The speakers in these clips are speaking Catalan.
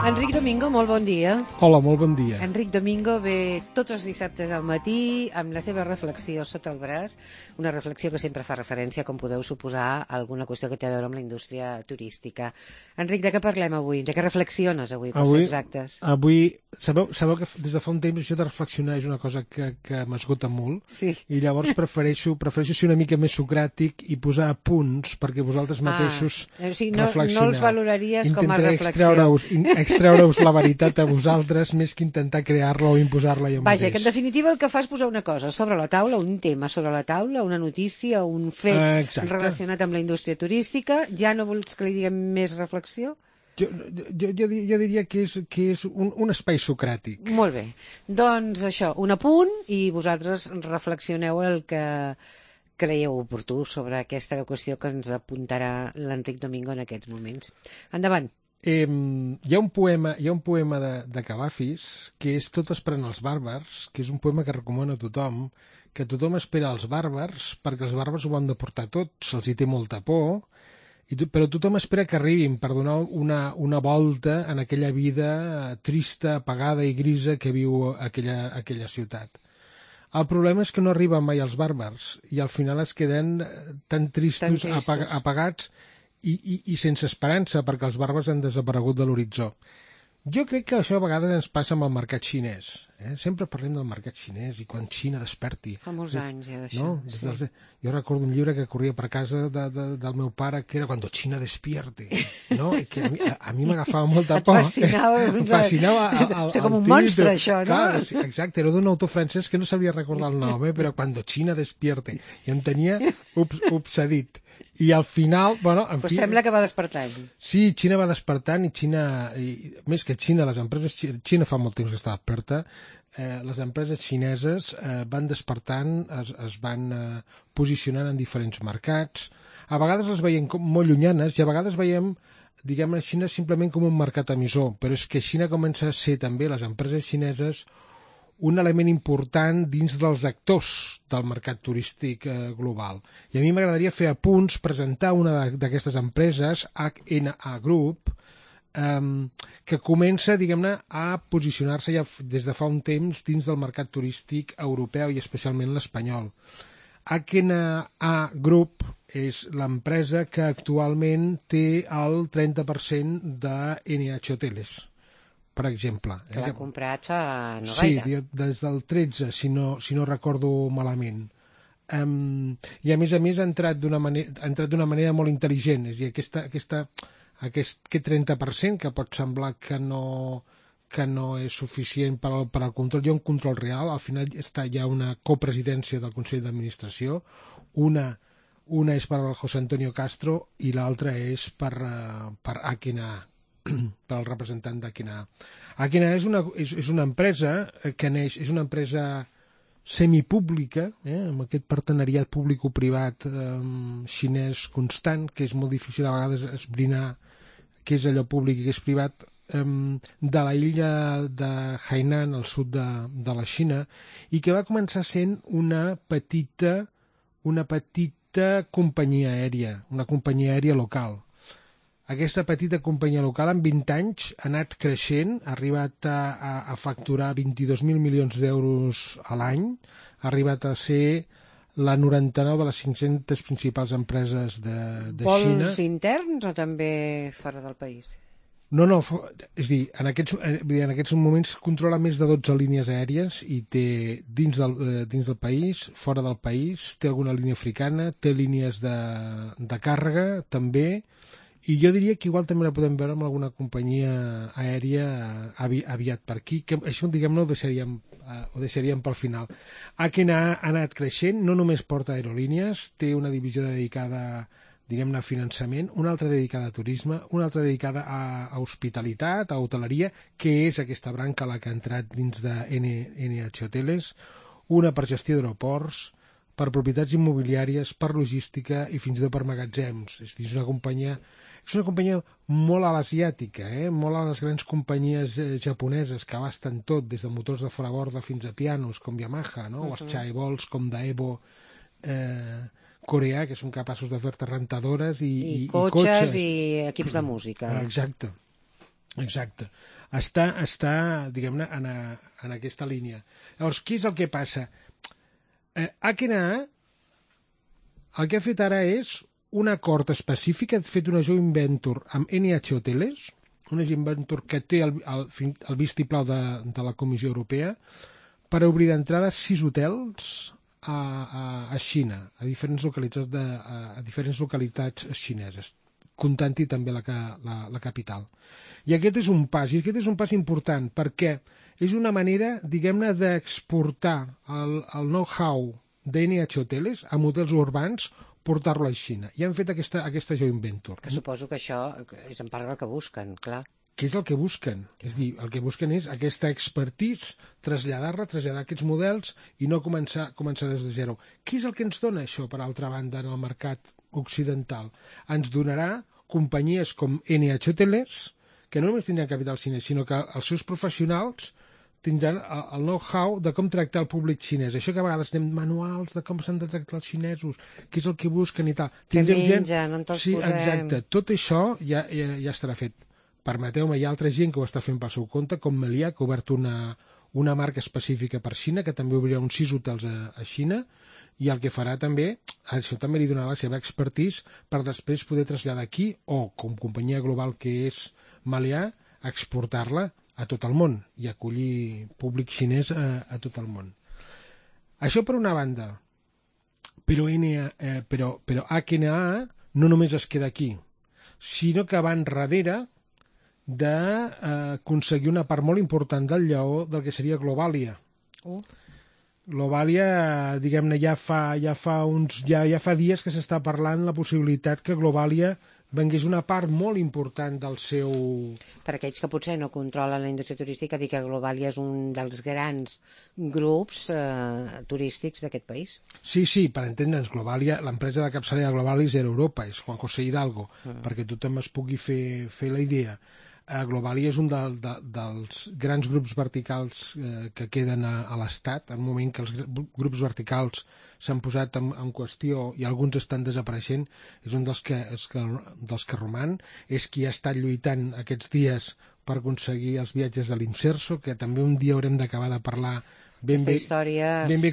Enric Domingo, molt bon dia. Hola, molt bon dia. Enric Domingo ve tots els dissabtes al matí amb la seva reflexió sota el braç, una reflexió que sempre fa referència, com podeu suposar, a alguna qüestió que té a veure amb la indústria turística. Enric, de què parlem avui? De què reflexiones avui, per ser exactes? Avui, sabeu que des de fa un temps això de reflexionar és una cosa que m'esgota molt, sí. I llavors prefereixo ser una mica més socràtic i posar punts perquè vosaltres mateixos reflexioneu. No els valoraries com a reflexió. Extreure-us la veritat a vosaltres més que intentar crear-la o imposar-la jo mateix. Vaja, que en definitiva el que fa és posar una cosa sobre la taula, un tema sobre la taula, una notícia, un fet relacionat amb la indústria turística. Ja no vols que li diguem més reflexió? Jo diria que és un espai socràtic. Molt bé. Doncs això, un apunt i vosaltres reflexioneu el que creieu oportú sobre aquesta qüestió que ens apuntarà l'Enric Domingo en aquests moments. Endavant. Hi ha un poema de Cavafis que és Tot esperant els bàrbars, que és un poema que recomano a tothom, que tothom espera els bàrbars perquè els bàrbars ho han de portar tot, se'ls hi té molta por, però tothom espera que arribin per donar una volta en aquella vida trista, apagada i grisa que viu aquella ciutat. El problema és que no arriben mai els bàrbars i al final es queden tan tristos. Apagats i sense esperança perquè els bàrbars han desaparegut de l'horitzó. Jo crec que això a vegades ens passa amb el mercat xinès. Sempre parlem del mercat xinès i quan Xina desperti. Fa molts anys ja d'això. No? Sí. Jo recordo un llibre que corria per casa del meu pare que era Cuando China despierte. No? Que a mi m'agafava molta por. Em fascinava com un monstre, això, no? Clar, sí, exacte, era d'un autor francès que no sabia recordar el nom, però Cuando China despierte. I em tenia obsedit. I al final, Pues sembla que va despertant. Sí, Xina va despertant més que Xina, les empreses... Xina fa molt temps que està desperta. Les empreses xineses van despertant, es van posicionant en diferents mercats. A vegades les veiem molt llunyanes i a vegades veiem, diguem-ne, Xina simplement com un mercat emissor, però és que Xina comença a ser també, les empreses xineses, un element important dins dels actors del mercat turístic global. I a mi m'agradaria fer apunts, presentar una d'aquestes empreses, HNA Group, que comença, diguem-ne, a posicionar-se ja des de fa un temps dins del mercat turístic europeu i especialment l'espanyol. HNA Group és l'empresa que actualment té el 30% de NH Hoteles, per exemple. Que l'ha comprat fa no gaire. Sí, des del 13, si no recordo malament. I a més ha entrat d'una manera molt intel·ligent. És a dir, aquest 30% que pot semblar que no és suficient per al control. Hi ha un control real, al final hi ha una copresidència del Consell d'Administració, una és per al José Antonio Castro i l'altra és per HNA, pel representant d'HNA. HNA és una empresa que neix, és una empresa semipública, amb aquest partenariat público-privat xinès constant, que és molt difícil a vegades esbrinar què és allò públic i què és privat, de la illa de Hainan, al sud de la Xina, i que va començar sent una petita companyia aèria, una companyia aèria local. Aquesta petita companyia local en 20 anys ha anat creixent, ha arribat a facturar 22.000 milions d'euros a l'any, ha arribat a ser la 99 de les 500 principals empreses de Xina. Vols interns o també fora del país? No, és a dir, en aquests moments controla més de 12 línies aèries i té dins del país, fora del país, té alguna línia africana, té línies de càrrega també. I jo diria que igual també la podem veure amb alguna companyia aèria aviat per aquí, que això, diguem-ne, ho deixaríem pel final. HNA ha anat creixent, no només porta aerolínies, té una divisió dedicada, diguem-ne, a finançament, una altra dedicada a turisme, una altra dedicada a hospitalitat, a hoteleria, que és aquesta branca la que ha entrat dins de NH Hoteles, una per gestió d'aeroports, per propietats immobiliàries, per logística i fins i tot per magatzems. És a dir, és una companyia molt a l'asiàtica, molt a les grans companyies japoneses que abasten tot, des de motors de fora borda fins a pianos com Yamaha, no? O els chaebols com Daewoo coreà, que són capaços de fer-te rentadores i cotxes i equips de música. Exacte. Exacte. Està diguem-ne, en aquesta línia. Llavors, què és el que passa? HNA el que ha fet ara és un acord específic, ha fet una joint venture amb NH Hoteles, una joint venture que té el vistiplau de la Comissió Europea, per obrir d'entrada 6 hotels a Xina, a diferents localitats xineses, comptant-hi també la capital. I aquest és un pas, important, perquè és una manera, diguem-ne, d'exportar el know-how d'NH Hoteles a hotels urbans, portar-lo a Xina. I han fet aquesta joint venture. Que suposo que això és en part el que busquen, clar. Què és el que busquen? És dir, el que busquen és aquesta expertise, traslladar aquests models i no començar des de zero. Què és el que ens dona això, per altra banda, en el mercat occidental? Ens donarà companyies com NH Hoteles, que no només tindran capital xinès, sinó que els seus professionals tindran el know-how de com tractar el públic xinès. Això que a vegades tenim manuals de com s'han de tractar els xinesos, què és el que busquen i tal. Que mengen, on te'ls posem. Sí, posem. exacte. Tot això ja estarà fet. Permeteu-me, hi ha altra gent que ho està fent pel seu compte, com Meliá, que ha obert una marca específica per Xina, que també obrirà uns 6 hotels a Xina, i el que farà també, això també li donarà la seva expertise per després poder traslladar aquí, o com companyia global que és Meliá, exportar-la a tot el món i acollir públic xinès a tot el món. Això per una banda, però HNA no només es queda aquí, sinó que va enrere d'aconseguir una part molt important del lleó del que seria Globalia. Globalia, diguem-ne, ja fa dies que s'està parlant la possibilitat que Globalia vengués una part molt important del seu... Per aquells que potser no controlen la indústria turística, dir que Globalia és un dels grans grups turístics d'aquest país. Sí, per entendre'ns, Globalia, l'empresa de capçalera de Globalia és Air Europa, és Juan José Hidalgo, perquè tothom es pugui fer la idea. Globalia és un dels grans grups verticals que queden a l'Estat, en un moment que els grups verticals s'han posat en qüestió i alguns estan desapareixent, és un dels que roman, és qui ha estat lluitant aquests dies per aconseguir els viatges de l'Imserso, que també un dia haurem d'acabar de parlar ben bé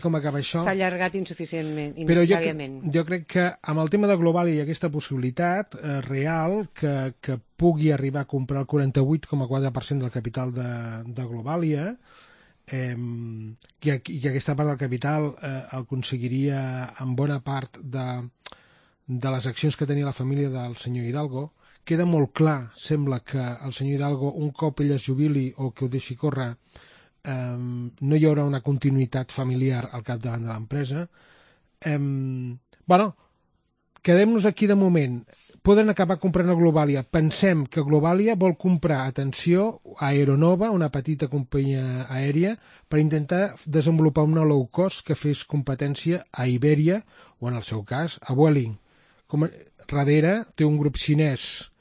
com acaba això. S'ha allargat insuficientment, però innecessàriament. Jo crec que amb el tema de Globalia hi ha aquesta possibilitat real que pugui arribar a comprar el 48,4% del capital de Globalia, i aquesta part del capital el aconseguiria en bona part de les accions que tenia la família del senyor Hidalgo. Queda molt clar, sembla, que el senyor Hidalgo, un cop ell es jubili o que ho deixi córrer, no hi haurà una continuïtat familiar al capdavant de l'empresa. Quedem-nos aquí de moment. Poden acabar comprant a Globalia. Pensem que Globalia vol comprar, atenció, a Aeronova, una petita companyia aèria, per intentar desenvolupar una low cost que fes competència a Iberia o, en el seu cas, a Vueling. Darrere té un grup xinès.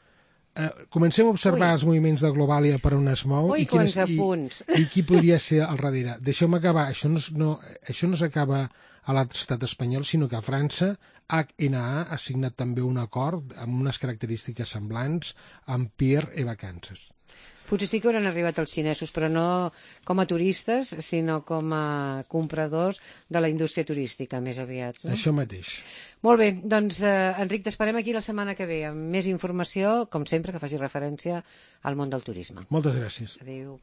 Comencem a observar els moviments de Globalia per on es mou i qui podria ser al darrere. Deixeu-me acabar. Això no s'acaba a l'estat espanyol, sinó que a França HNA ha signat també un acord amb unes característiques semblants amb Pierre et Vacances. Potser sí que hauran arribat els xinesos, però no com a turistes, sinó com a compradors de la indústria turística, més aviat. No? Això mateix. Molt bé, doncs, Enric, t'esperem aquí la setmana que ve amb més informació, com sempre, que faci referència al món del turisme. Moltes gràcies. Adéu.